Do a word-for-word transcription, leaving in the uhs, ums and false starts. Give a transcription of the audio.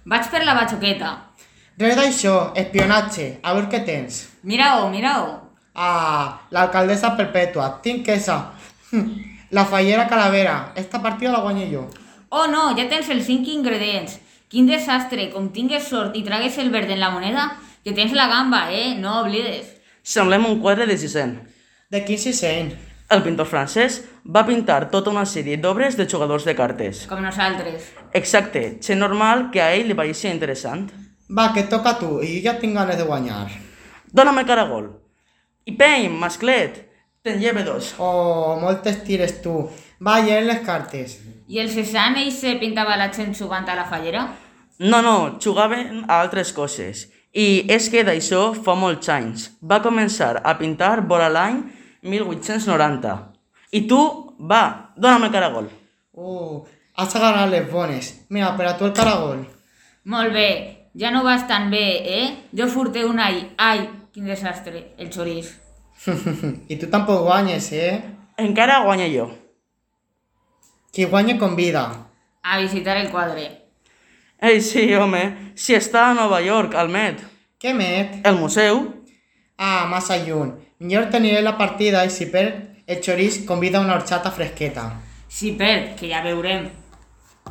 Vaig per la batxoqueta. Res d'això, espionatge, a veure què tens. Mira-ho, mira-ho. Ah, l'alcaldessa perpètua, tinc esa. La fallera calavera, esta partida la guanyo jo. Oh no, ja tens els cinc ingredients. Quin desastre, com tingues sort i tragues el verd en la moneda, que tens la gamba, eh? No oblides. Semblem un quadre de Cézanne. De quin sisent? El pintor francès va pintar tota una sèrie d'obres de jugadors de cartes. Com nosaltres. Exacte, gent normal que a ell li pareixia interessant. Va, que et toca a tu, i jo ja tinc ganes de guanyar. Dóna'm el caragol. I peny, masclet, te'n lleve dos. Oh, moltes tires tu. Va, lleven les cartes. I el Cézanne ell se pintava la gent jugant a la fallera? No, no, jugaven a altres coses. I és que d'això fa molts anys. Va començar a pintar vora l'any mil vuit-cents noranta. I tu, va, dóna'm el caragol. Uh, has agarrat les bones. Mira, per a tu el caragol. Molt bé, ja no vas tan bé, eh? Jo furté un all. Ai, quin desastre, el xoriç. I tu tampoc guanyes, eh? Encara guanya jo. Qui guanya convida. A visitar el quadre. Ei, sí, home, si està a Nova York, al Met. Què met? El museu? Ah, massa lluny. Millor t'aniré la partida i si perd el xoriç convida una horxata fresqueta. Si perd, que ja veurem.